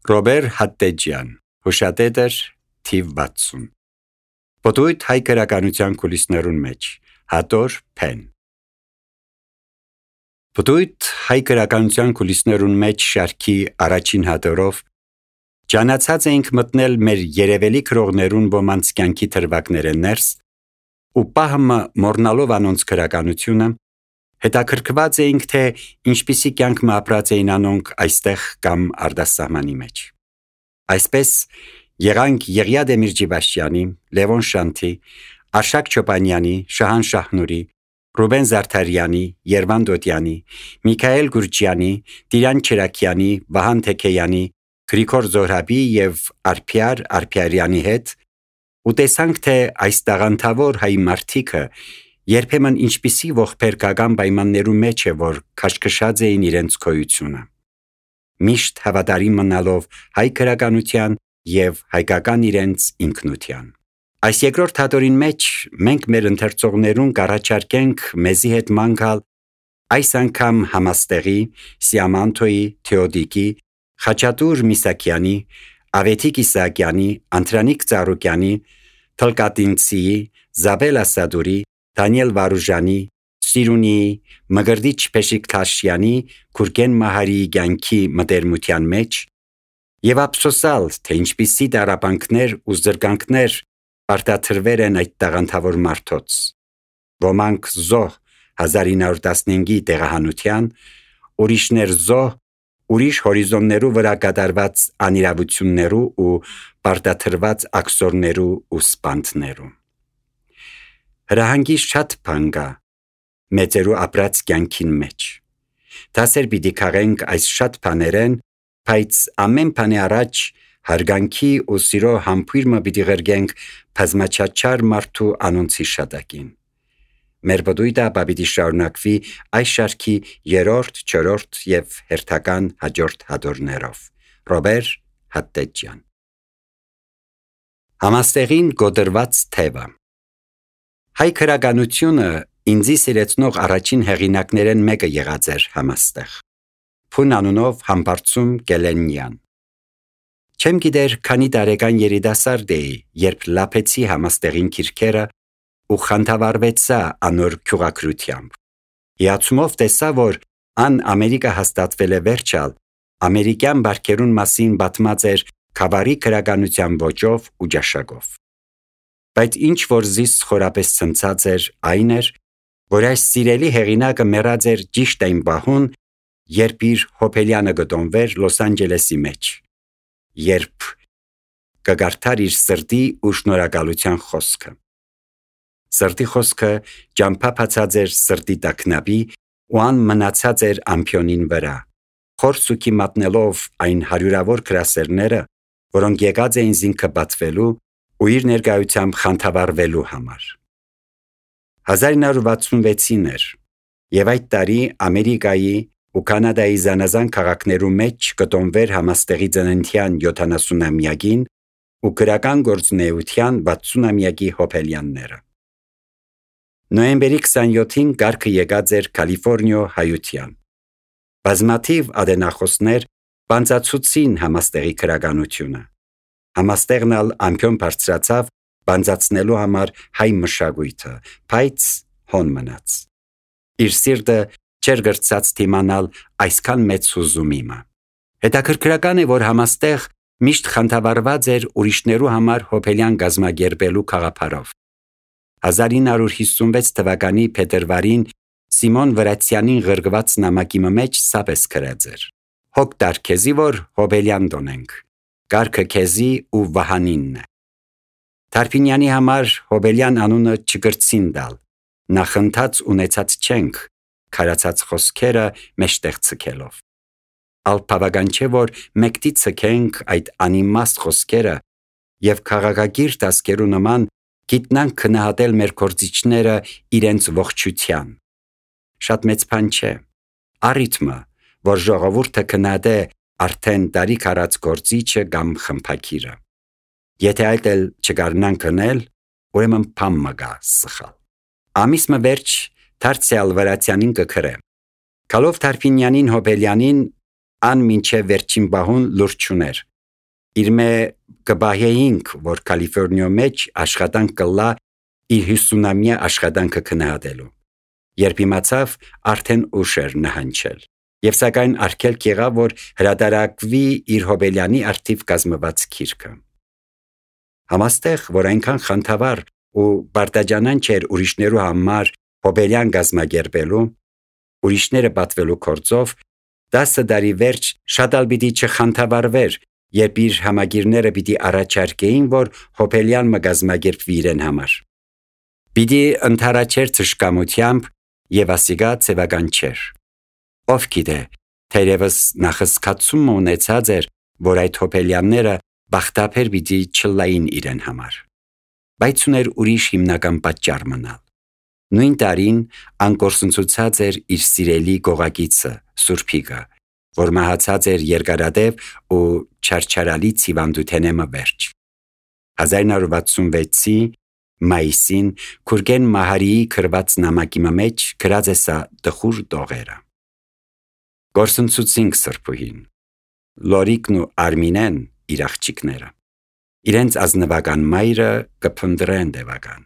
Ռոբեր Հատտեջյան, հուշատետր թիվ 60։ Պտույտ հայ գրականության կուլիսներուն մեջ, Հատոր Փեն։ Պտույտ հայ գրականության կուլիսներուն մեջ շարքի առաջին հատորով ճանաչած էինք մտնել մեր երևելի քրողներուն ոմանց կյանքի թրվակները ներս ու պահմը մորնալով անոնց գրականությունը հետաքրքրված էինք, թե ինչպիսի կյանք ապրած էին անոնք այստեղ կամ արտասահմանի մեջ։ Այսպես եղանք Եղիա Դեմիրճիբաշյանի, Լևոն Շանթի, Արշակ Չոպանյանի, Շահան Շահնուրի, Ռուբեն Զարդարյանի, Երվան Դոդյանի, Միքայել Գուրջյանի, Տիրան Չերակյանի, Վահան Թեքեյանի, Գրիգոր Զոհրաբի և Արփիար Արփիարյանի հետ ու տեսանք, թե այս տաղանդավոր հայ մարդիկը երբեմն ինչպիսի ողբերգական պայմաններու մեջ է, որ քաշքշած էին իրենց գոյությունը։ Միշտ հավատարիմ մնալով հայ գրականության և հայկական իրենց ինքնության։ Այս երկրորդ հատորին մեջ մենք մեր ընթերցողներուն կառաջարկենք մեզի հետ ման գալ այս անգամ Համաստեղի, Սիամանթոյի, Թեոդիկի, Խաչատուր Միսակյանի, Ավետիք Իսահակյանի, Անդրանիկ Ծառուկյանի, Թլկատինցիի, Զաբել Ասադուրի, Դանիել Վարուժանի, Սիրունիի, Մգրդիչ Փեշիկթաշյանի, Քուրգեն Մահարիի կյանքի մտերմության մեջ և ափսոսալ, թե ինչպիսի տառապանքներ ու զրկանքներ արտադրվել են այդ տաղանդավոր մարդոց։ Ոմանք զոհ 1915-ի տեղահանության, ուրիշներ զոհ ուրիշ հորիզոններու վրա կատարված անիրավություններու ու պարտադրված աքսորներու ու սպանդներու։ Հրահանգի շատ բան կա մեծերու ապրած կյանքին մեջ։ Դասեր պիտի քաղենք այս շատ բաներեն, բայց ամեն բանի առաջ հարգանքի ու սիրո համբույրը պիտի ղրգենք բազմաչափչար մարդու անոնց հիշատակին։ Մեր պտույտը պիտի շարունակվի այս շարքի 3-րդ, 4-րդ և հերթական հաջորդ հատորներով։ Ռոբեր Հատտեջյան։ Համաստեղին գոդրված թևը։ Հայ գրականությունը ինձի սիրեցնող առաջին հեղինակներեն մեկը եղած էր Համաստեղ։ Փուն անունով Համբարձում Գելենյան։ Չեմ գիտեր քանի տարեկան երիտասարդ էի, երբ լափեցի Համաստեղին քիրքերը ու խանդավառվեցա անոր քյուղակրությամբ։ Հիացումով տեսա, որ ան Ամերիկա հաստատվել է վերջալ, ամերիկյան բարքերուն մասին պատմած էր խավարի գրականության ոճով ու ճաշակով։ Բայց ինչ որ զիս խորապես ցնցած էր, այն էր, որ այս սիրելի հեղինակը մեռած էր ճիշտ այն պահուն, երբ իր հոբելյանը գտոնվեր Լոս Անջելեսի մեջ, երբ կգարթար իր սրտի ու շնորհակալության խոսքը։ Սրտի խոսքը ճամփափացած էր սրտի տակնապի ու ան մնացած էր ամփյոնին վրա, խորսուքի մատնելով այն հարյուրավոր գրասերները, որոնք եկած էին զինքը բացվելու ու իր ներկայությամբ խանդավառվելու համար։ 1966-ին էր, և այդ տարի Ամերիկայի ու Կանադայի զանազան քաղաքներու մեջ կտոնվեր Համաստեղի ծննդյան 70-ամյակին ու գրական գործունեության 60-ամյակի հոբելյանները։ Նոյեմբերի 27-ին կարգը եկած էր Կալիֆորնիա հայության։ Բազմաթիվ ադենախոսներ բանձացուցին Համաստեղի գրականությունը։ Համաստեղն ալ ամփյոն բարձրացավ բանձացնելու համար հայ մշակույթը, բայց հոն մնաց։ Իր սիրտը չէր գրծած թիմանալ այսքան մեծ հուզումիմը։ Հետաքրքրական է, որ Համաստեղ միշտ խանդավառված էր ուրիշներու համար հոբելյան գազմագերբելու խաղապարով։ 1956 թվականի փետրվարին Սիմոն Վրացյանին ղրգված նամակի մեջ սապես գրած էր. «Հոգ տար քեզի, որ հոբելյան դոնենք, կարգը քեզի ու Վահանինն է»։ Թարփինյանի համար հոբելյան անունը չգրցին դալ, նախընթաց ունեցած չենք, քարացած խոսքերը մեջտեղ ցկելով։ Ալ բավական չէ, որ մեկտի ցկենք այդ անիմաստ խոսքերը և քաղաքագիր դասկերու նման գիտնանք քննադատել մեր գործիչները իրենց ողջության։ Շատ մեծ բան չէ։ Առիթմը, որ ժողովուրդը քննադե արդեն տարիք արած գործիչը կամ խմփակիրը։ Եթե այդ էլ չկարնանք կնել, ուրեմն բան մը գա սխալ։ Ամիսը վերջ դարձյալ Վրացյանին կգրե։ Գալով Թարփինյանին հոբելյանին ան մինչև վերջին բահուն լուրջ չուներ, իր մե կբահեինք, որ Կալիֆորնիա մեջ աշխատանք կլա իր 50-ամյա աշխատանքը քննադելու։ Երբ իմացավ, արդեն ուշ էր նահանջել, եւ սակայն արգելք եղավ, որ հրատարակվի իր Հոբելյանի արդիվ կազմված գիրքը։ Համաստեղ, որ այնքան խանդավառ ու բարտաճանան չէր ուրիշներու համար Հոբելյան գազմագերբելու, ուրիշները պատվելու կորձով, 10 տարի վերջ շատ ալ պիտի չխանդավառվեր, երբ իր համագիրները պիտի առաջարկեին, որ Հոբելյան մգազմագերբվի իրեն համար։ Պիտի ընթարաչեր թշկամությամբ եւ ասիգա ցեվական չէր։ Ով գիտե, թերևս նախսկացում ունեցած էր, որ այդ Հոբելյանները բախտապեր պիտի չլային իրեն համար։ Բայց ուներ ուրիշ հիմնական պատճառ մնալ։ Նույն տարին անկորսնցուցած էր իր սիրելի գողագիծը Սուրբիգը, որ մահացած էր երկարադեպ ու չարչարալի ցիվանդութենեմը վերջ։ 1966-ի մայիսին Քուրգեն Մահարիի քրված նամակի մեջ գրած է սա տխուր տողերը։ Գործընծուցինք Սրբուհին, Լորիկն ու Արմինեն իր աղջիկները։ Իրենց ազնվական մայրը կփնտրեն դևական,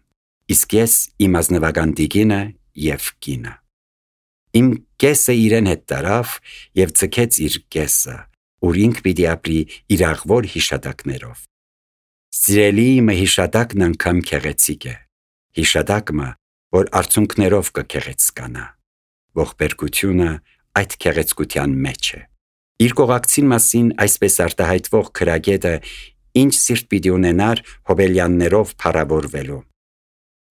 իսկ ես իմ ազնվական դիգինը եւ կինը։ Իմ կեսը իրեն հետ տարավ եւ ցկեց իր կեսը, ուր ինք պիտի ապրի իր աղվոր հիշատակներով։ Սիրելի իմ հիշատակն անգամ քեղեցիկ է, հիշատակը, որ արցունքներով կքեղեցկանա, ողբերգությունը այդ քեղեցկության մեջ է։ Իր կողակցին մասին այսպես արտահայտվող քրագետը ինչ սիրտ պիտի ունենար Հոբելյաններով փառավորվելու։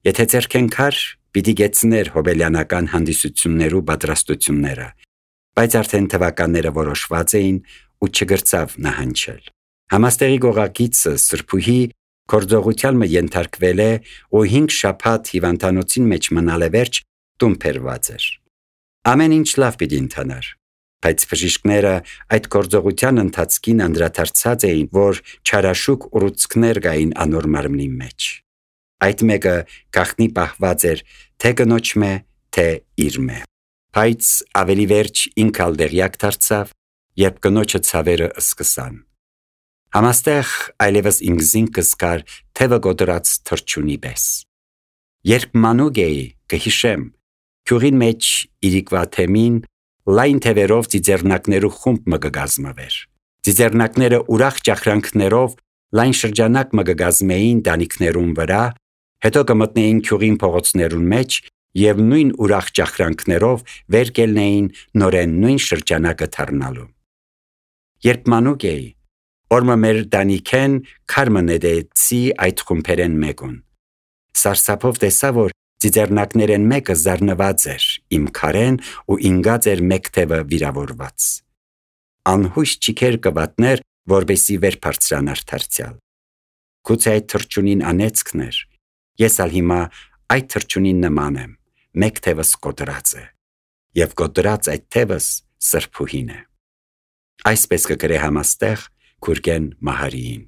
Եթե ձերքենքար պիտի գեցներ հոբելյանական հանդիսություններու պատրաստությունները, բայց արդեն թվականները որոշված էին ու չգրծավ նահանջել։ Համաստեղի գողագիծը Սրբուհի կորձողության ենթարկվել է ու 5 շաբաթ հիվանդանոցին մեջ մնալ է վերջ տուն բերված էր։ Ամեն ինչ լավ պիտի ընթանար, բայց բժիշկները այդ կորձողության ընթացքին անդրադարձած էին, որ չարաշուկ ուռուցքներ կային անոր մարմնի մեջ։ Այդ մեկը գախնի պահված էր թե կնոջ մե, թե իր մե։ Բայց ավելի վերջ ինք ալ դեղյակ դարձավ, երբ կնոջը ցավերը սկսան։ Համաստեղ այլևս ինքզին կսկար թևը գոդրած թրջունի պես։ Երբ մանուկ էի, կհիշեմ, քյուղին մեջ իրիկվա թեմին լայն թևերով ծիծեռնակներու խումբ մը կգազմվեր։ Ծիծեռնակները ուրախ ճախրանքներով լայն շրջանակ մը կգազմեին դանիքներուն վրա, հետո կմտնեին քյուղին փողոցներուն մեջ եւ նույն ուրախ ճախրանքներով վեր կելնեին նորեն նույն շրջանակը թռնալու։ Երբ մանուկ էի, օրմը մեր դանիքեն քարմը նետեցի այդ խումբերեն մեկուն։ Սարսափով տեսա, որ ծիծեռնակներեն մեկը զարնված էր իմ քարեն ու ինգած էր մեկ թևը վիրավորված։ Անհույս չիքեր կվատներ, որբեսի վեր բարձրանար դարձյալ։ Գուցե այդ թրջունին անեծքն էր, ես ալ հիմա այդ թրջունին նման եմ, մեկ թևս կոտրած է, եւ կոտրած այդ թևս Սրբուհին է։ Այսպես կգրե համաստեղ Քուրգեն Մահարիին։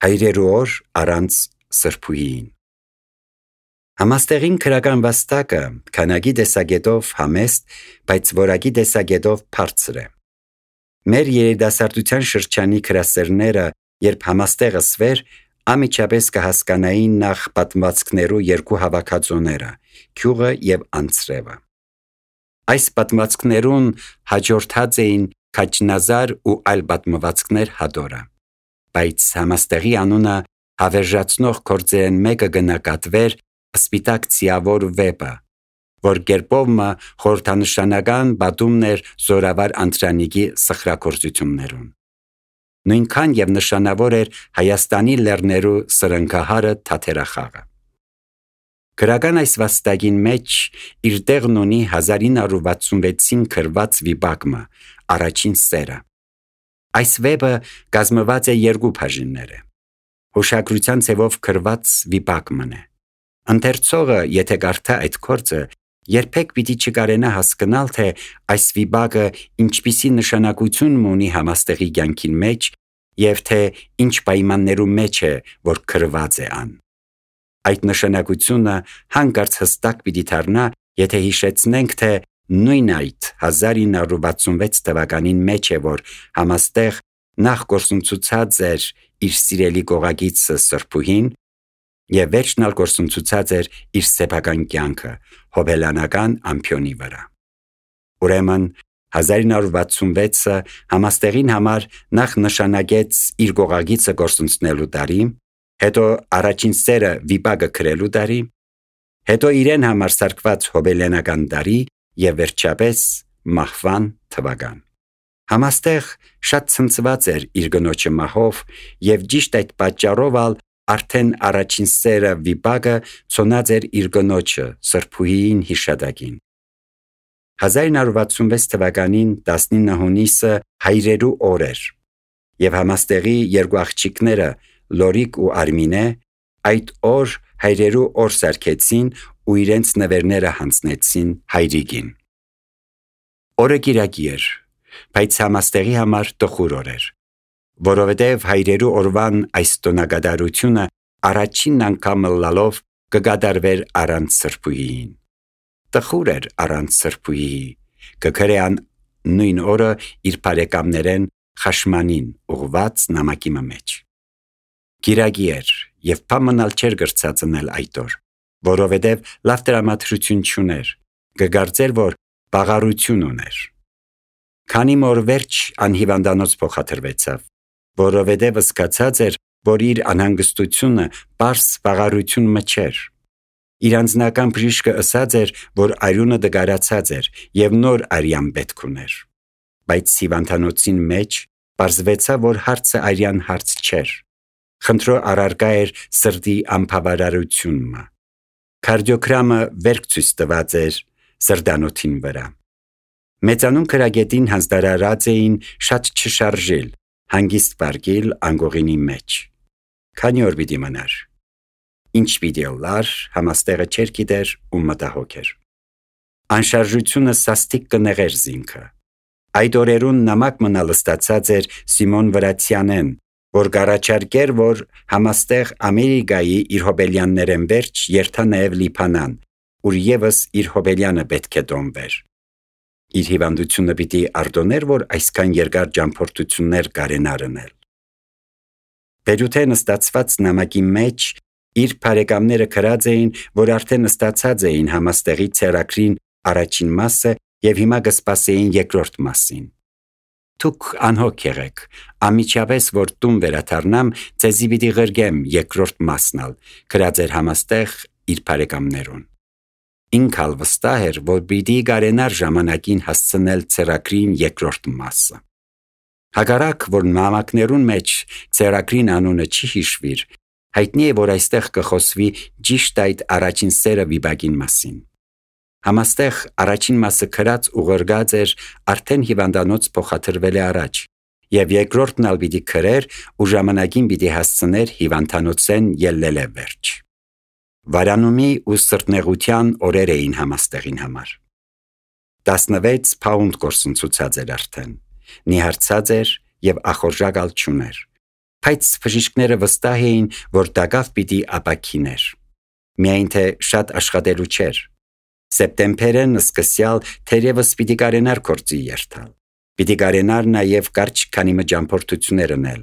Հայրերու օր առանց Սրբուհիին։ Համաստեղին քրական վաստակը քանակի դեսագետով համեստ, բայց որակի դեսագետով բարձր է։ Մեր երիտասարդության շրջանի քրասերները, երբ համաստեղը սվեր, ամիջապես կհասկանային նախ պատմվածքներու երկու հավաքածուները՝ Քյուղը եւ Անցրևը։ Այս պատմվածքներուն հաջորդած էին Քաչնազար ու այլ պատմվածքներ հադորը, բայց համաստեղի անունը հավերժացնող գործերեն մեկը գնահատվեր Սպիտակ ցիավոր վեպը, որ գերպովը խորհրդանշանական բադումն էր զորավար Անտրանիկի սխրագործություններուն։ Նույնքան եւ նշանավոր էր Հայաստանի լեռներու սրընկահարը Թաթերախաղը։ Գրական այս վաստակին մեջ իր տեղն ունի 1966-ին գրված վիպակը Առաջին սերը։ Այս վեպը կազմված է երկու բաժիններ։ Հուշագրության ցևով գրված վիպակն է։ Ընթերցողը, եթե կարդա այդ գործը, երբեք պիտի չկարենա հասկանալ, թե այս վիպակը ինչպիսի նշանակություն ունի համաստեղի կյանքին մեջ եւ թե ինչ պայմաններու մեջ է, որ գրված է ան։ Այդ նշանակությունը հանկարծ հստակ պիտի դառնա, եթե հիշեցնենք, թե նույն այդ 1966 թվականին մեջ է, որ համաստեղ նախ գործունեացած էր իր սիրելի գողագիծը Սրբուհին եւ վերջնալ գործունեացած էր իր սեփական կյանքը հոբելյանական ամփյոնի վրա։ Ուրեմն 1966-ը համաստեղին համար նախ նշանակեց իր գողագիծը գործունեացնելու տարի, հետո առաջին սերը վիպակը քրելու տարի, հետո իրեն համար սարքված հոբելյանական տարի եւ վերջապես մահվան թվական։ Համաստեղ շատ ցնցված էր իր գնոջը մահով եւ ճիշտ այդ պատճառով արդեն առաջին սերը վիպակը ցոնած էր իր գնոջը Սրբուհիին հիշատակին։ 1966 թվականին 19 հունիսը հայրերու օր էր եւ համաստեղի երկու աղջիկները Լորիկ ու Արմինե այդ օր հայրերու օր սարքեցին ու իրենց նվերները հանձնեցին հայրիկին։ Օրը կիրակի էր, բայց համաստեղի համար տխուր օր էր, որովհետև հայրերու օրվան այս տոնակատարությունը առաջին անգամ լալով կգադարվեր առանց Սրբուհիին։ Տխուր էր առանց Սրբուհիի, կգրեան նույն օրը իր բարեկամներեն Խաշմանին ուղված նամակի մեջ։ Կիրակի էր եւ փամնալ չէր գրծածնել այդ օր, որովհետև լավ տրամադրություն չուներ, կգարձեր, որ բաղարություն ուներ։ Քանի մոր վերջ անհիվանդանոց փոխադրվեցավ, որովհետև զգացած էր, որ իր անհանգստությունը պարս բաղարություն մչեր։ Իր անձնական բժիշկը ասած էր, որ արյունը դգարացած էր եւ նոր արյան պետք ուներ։ Բայց հիվանդանոցին մեջ պարզվեցավ, որ հարցը արյան հարց չէր։ Խնդրո առարկա էր սրտի անբավարարությունը։ Կարդիոգրամը վերք ցույց տված էր սրտանոթին վրա։ Մեծանուն քրագետին հանձնարարած էին շատ չշարժել, հանգիստ բարգել անգողինի մեջ։ Քանի օր պիտի մնար։ Ինչ պիտի լար, համաստեղը չէր գիտեր ու մտահոգ էր։ Անշարժությունը սաստիկ կնեղեր զինքը։ Այդ օրերուն նամակ մնալ ստացած էր Սիմոն Վրացյանեն, որ գարաչարկեր, որ համաստեղ Ամերիկայի իր հոբելյաններեն վերջ երթա նաև Լիբանան, ուր եւս իր հոբելյանը պետք է դոմվեր։ Իր հիվանդությունը պիտի արտոներ, որ այսքան երկար ճամփորդություններ կարենար անել։ Բերութեն ստացված նամակի մեջ իր բարեկամները գրած էին, որ արդեն ստացած էին համաստեղի ցերակրին առաջին մասը եւ հիմա կսպասեին երկրորդ մասին։ Դուք անհոգ եղեք, ամիջապես որ տուն վերադառնամ, ձեզի պիտի ղրգեմ երկրորդ մասնալ, գրած էր համաստեղ իր բարեկամներուն։ Ինքալ վստահ էր, որ պիտի կարենար ժամանակին հասցնել ցերակրին երկրորդ մասը։ Հակառակ, որ նամակներուն մեջ ցերակրին անունը չի հիշվիր, հայտնի է, որ այստեղ կխոսվի ճիշտ այդ առաջին սերը վիպակին մասին։ Համաստեղ առաջին մասը գրած ու ղրգած էր արդեն հիվանդանոց փոխադրվել է առաջ, եւ երկրորդն ալ պիտի գրեր ու ժամանակին պիտի հասցներ հիվանդանոցեն ելլել է վերջ։ Վարանումի ու սրտնեղության օրեր էին համաստեղին համար։ 16 փաունդ գործընծուցած էր արդեն, նիհարցած էր եւ ախորժակալ չուներ, բայց բժիշկները վստահ էին, որ դակավ պիտի ապակիներ։ Միայն թե շատ աշխատելու չէր։ Սեպտեմբերն սկսյալ թերևս պիտի կարենար գործի երթալ։ Պիտի կարենար նաև կարճ քանի ճամփորդություններ անել,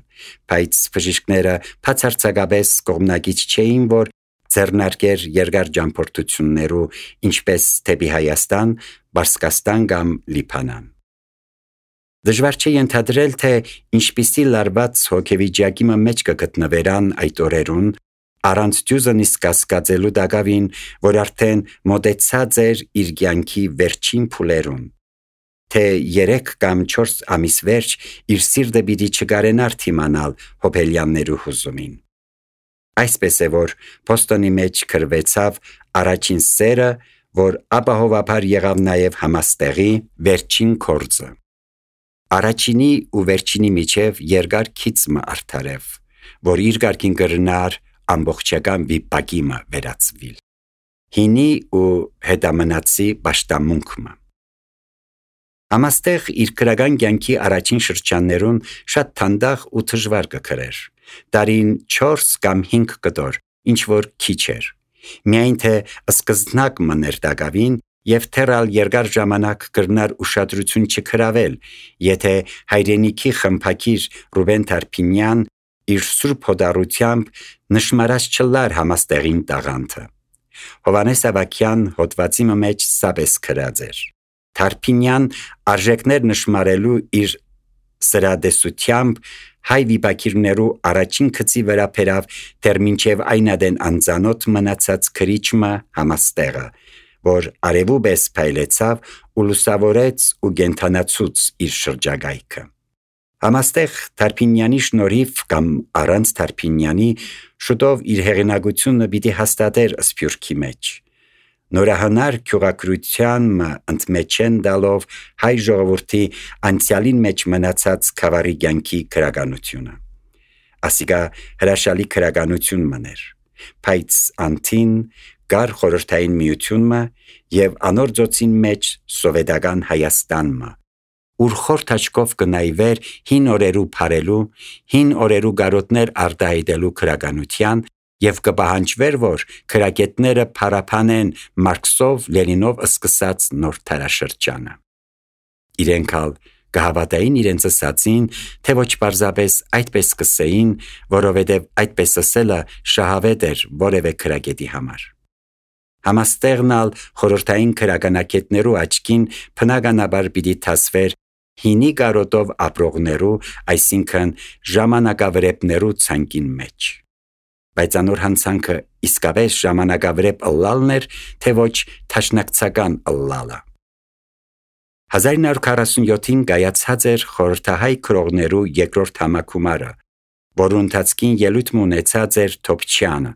բայց բժիշկները բացարձակապես կողմնակից չէին, որ ձեռնարկեր երկար ճամփորդություններու, ինչպես դեպի Հայաստան, Պարսկաստան կամ Լիբանան։ Դժվար չէ ենթադրել, թե ինչպիսի լարված հոգեվիճակի մեջ կգտնվերան այդ օրերուն, առանց դյուզնից կասկածելու դակավին, որ արդեն մոտեցած էր իր կյանքի վերջին փուլերուն, թե 3 կամ 4 ամիս վերջ իր սիրտը պիտի չկարենար թիմանալ հոբելյաններու հուզումին։ Այսպես է, որ Բոստոնի մեջ գրվեցավ առաջին սերը, որ ապահովաբար եղավ նաև համաստեղի վերջին կորձը։ Առաջինի ու վերջինի միջև երկար քիծմը արդարև, որ իր գարկին կրնար ամբողջական վիպակիմը վերածվիլ։ Հինի ու հետամնացի պաշտամունքմը։ Համաստեղ իր քրական կյանքի առաջին շրջաններուն շատ թանդախ ու դժվար կգրեր։ Տարին 4 կամ 5 կտոր, ինչ որ քիչ էր։ Միայն թե սկզբնակ մներ դակավին եւ թերալ երկար ժամանակ կրնար ուշադրություն չքրավել, եթե հայրենիքի խմփակիր Ռուբեն Թարփինյան իր սուրբ հոդառությամբ նշմարած չլար համաստեղին տաղանթը։ Հովանես Ավագյան հոդվածի մեջ սաբես քրած էր։ Թարփինյան արժեքներ նշմարելու իր սրադեսությամբ հայ վիպակիրներու առաջին քծի վրա փերավ դեռ մինչև այնադեն անծանոթ մնացած քրիչմը համաստեղը, որ արևուբես փայլեցավ ու լուսավորեց ու գենթանացուց իր շրջագայքը։ Համաստեղ Թարփինյանի շնորհիվ կամ առանց Թարփինյանի շուտով իր հեղինակությունը պիտի հաստատեր Սփյուռքի մեջ։ Նորահանար քյուղակրության ընդմեջեն դալով հայ ժողովրդի անցյալին մեջ մնացած խավարի կյանքի քրագանությունը։ Ասիկա հրաշալի քրագանություն մներ, բայց անտին գար խորհրդային միությունը եւ անոր ծոցին մեջ սովետական Հայաստանը, ուր խորթ աչքով կնայվեր հին օրերու փարելու, հին օրերու գարոտներ արտահայտելու քրագանության եւ կպահանջվեր, որ քրագետները փարապանեն Մարքսով, Լենինով սկսած նոր թարաշրջանը։ Իրենքալ կհավատային իրենց ասացին, թե ոչ պարզապես այդպես կսեին, որովհետև այդպես ասելը շահավետ էր որևէ քրագետի համար։ Համաստեղնալ խորհրդային քրագանակետներու աչքին բնականաբար պիտի թասվեր հինի գարոտով ապրողներու, այսինքն ժամանակավրեպներու ցանկին մեջ։ Բայց անոր հանցանքը իսկապես ժամանակավրեպ ըլլալն էր, թե ոչ թաշնակցական ըլլալը։ 1947-ին կայացած էր խորհրդահայ քրողներու երկրորդ համակումարը, որու ընթացքին ելույթ ունեցած էր Թոփչյանը,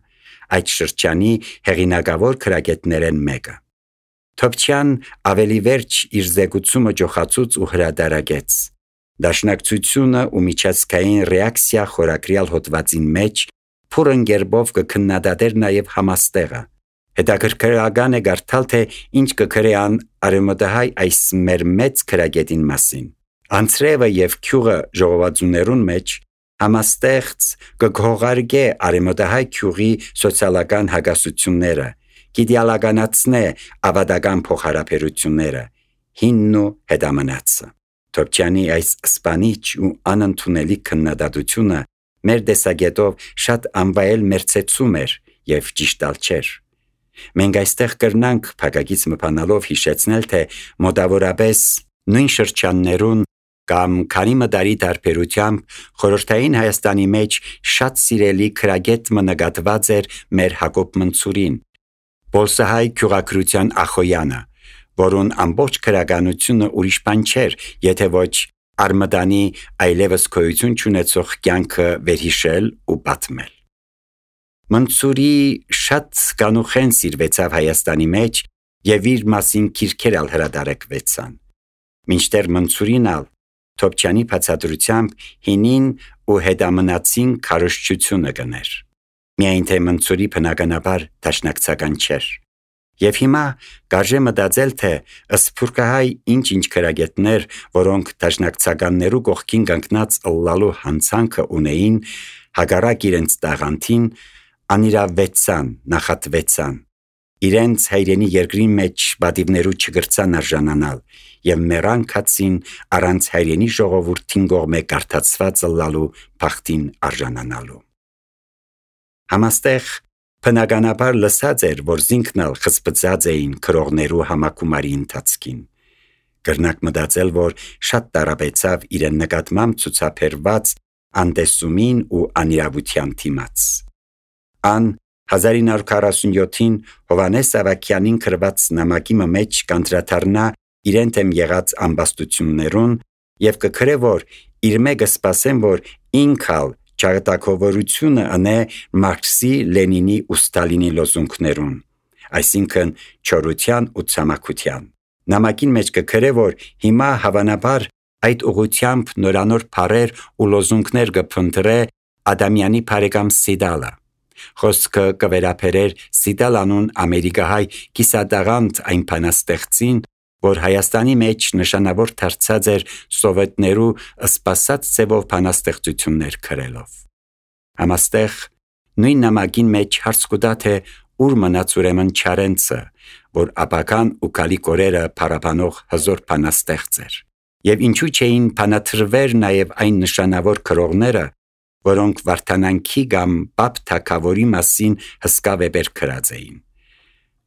այդ շրջանի հեղինակավոր քրագետներեն մեկը։ Թոփչյան ավելի վերջ իր զեկուցումը ջոխացուց ու հրադարագեց։ Դաշնակցությունը ու միջազգային ռեակցիա խորակրյալ հոդվածին մեջ փուրն գերբով կքննադատեր նաև համաստեղը։ Հետաքրքրական է գարթալ, թե ինչ կգրեան արևմտահայ այս մեր մեծ քրագետին մասին։ Անցրևը եւ քյուղը ժողովածուներուն մեջ համաստեղծ կգողարգե արևմտահայ քյուղի սոցիալական հագասությունները, գիդեալականացնե ավադական փոխհարաբերությունները, հինն ու հետամնացը։ Թոփչյանի այս սպանիչ ու անընդունելի քննադատությունը մեր տեսակետով շատ անվայել մերցեցում էր եւ ճիշտալ չէր։ Մենք այստեղ կրնանք փակագից մփանալով հիշեցնել, թե մոտավորապես նույն շրջաններուն կամ քանի մդարի տարբերությամբ խորհրդային Հայաստանի մեջ շատ սիրելի քրագետ նկատված էր մեր Հակոբ Մնցուրին, Պոլսահայ քյուղակրության Ախոյանը, որուն ամբողջ քրագանությունը ուրիշ բան չէր, եթե ոչ Արմդանի այլևս գոյություն չունեցող կյանքը վերհիշել ու պատմել։ Մնցուրի շատ կանուխեն սիրվեցավ Հայաստանի մեջ եւ իր մասին քիրքեր ալ հրադարակվեցան։ Մինչդեռ Մնցուրին ալ Թոփչյանի բացատրությամբ հինին ու հետամնացին քարոզչությունը գներ։ Միայն թե Մնցուրի բնականաբար դաշնակցական չէր։ Եվ հիմա կարժե մտածել, թե սփյուռքահայ ինչ-ինչ քրագետներ, որոնք դաշնակցականներու կողքին կանգնած ըլլալու հանցանքը ունեին, հակառակ իրենց տաղանթին, անիրավվեցան, նախատվեցան, իրենց հայրենի երկրի մեջ բադիվներու չգրցան արժանանալ եւ մեռան քացին առանց հայրենի ժողովրդին կողմե կարդացված ըլլալու բախտին արժանանալու։ Համաստեղ բնականաբար լսած էր, որ զինքնալ խսպծած էին քրողներու համակումարի ընթացքին։ Կրնակ մտածել, որ շատ տարապեցավ իրեն նկատմամբ ցուցաբերված անտեսումին ու անիրավության դիմաց։ Ան 1947-ին Հովանես Ավագյանին գրված նամակի մեջ կանդրադառնա իրեն թեմ եղած ամբաստություններուն եւ կգրե, որ իր մեկը սպասեն, որ ինքալ ճակատագովորությունը անե Մարքսի, Լենինի ու Ստալինի լոզունգներուն, այսինքն չորության ու ցամաքության։ Նամակին մեջ կգրե, որ հիմա հավանաբար այդ ուղությամբ նորանոր բառեր ու լոզունգներ կփնտրե Ադամյանի բարեկամ Սիդալը։ Խոսքը կվերապերեր Սիդալ անուն ամերիկահայ կիսադաղանդ այն բանաստեղծին, որ Հայաստանի մեջ նշանավոր դարձած էր սովետներու սպասած ձևով բանաստեղծություններ գրելով։ Համաստեղ նույն նամակին մեջ հարց կուտա, թե ուր մնաց ուրեմն Չարենցը, որ ապական ու կալիք օրերը փառաբանող հզոր բանաստեղծ էր։ Եվ ինչու չէին բանաթրվեր նաև այն նշանավոր քրողները, որոնք Վարդանանքի կամ Պապ թագավորի մասին հսկա վեպեր գրած էին։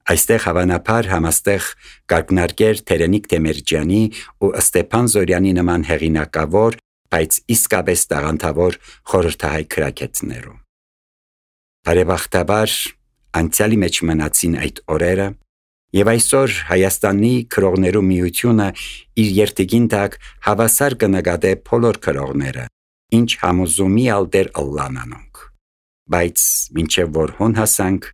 Այստեղ հավանաբար համաստեղ կարգնարկեր Թերենիկ Դեմերջյանի ու Ստեփան Զորյանի նման հեղինակավոր, բայց իսկապես տաղանդավոր խորհրդահայ գրագետներու։ Բարեբախտաբար անցյալի մեջ մնացին այդ օրերը, եւ այսօր Հայաստանի քրողներու միությունը իր երթիգին տակ հավասար կնկատե բոլոր քրողները, ինչ համոզումի ալտեր ըլլանանոնք։ Բայց մինչև որ հոն հասանք,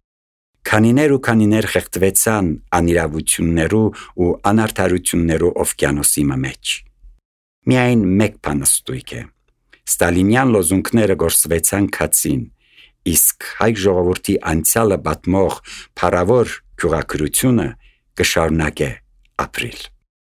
քանիներ խեղդվեցան անիրավություններու ու անարդարություններու օվկիանոսի մեջ։ Միայն մեկ բան ստույգ է. Ստալինյան լոզունգները գործվեցան քացին, իսկ հայ ժողովրդի անցյալը պատմող փառավոր գյուղակրությունը կշարունակե ապրիլ։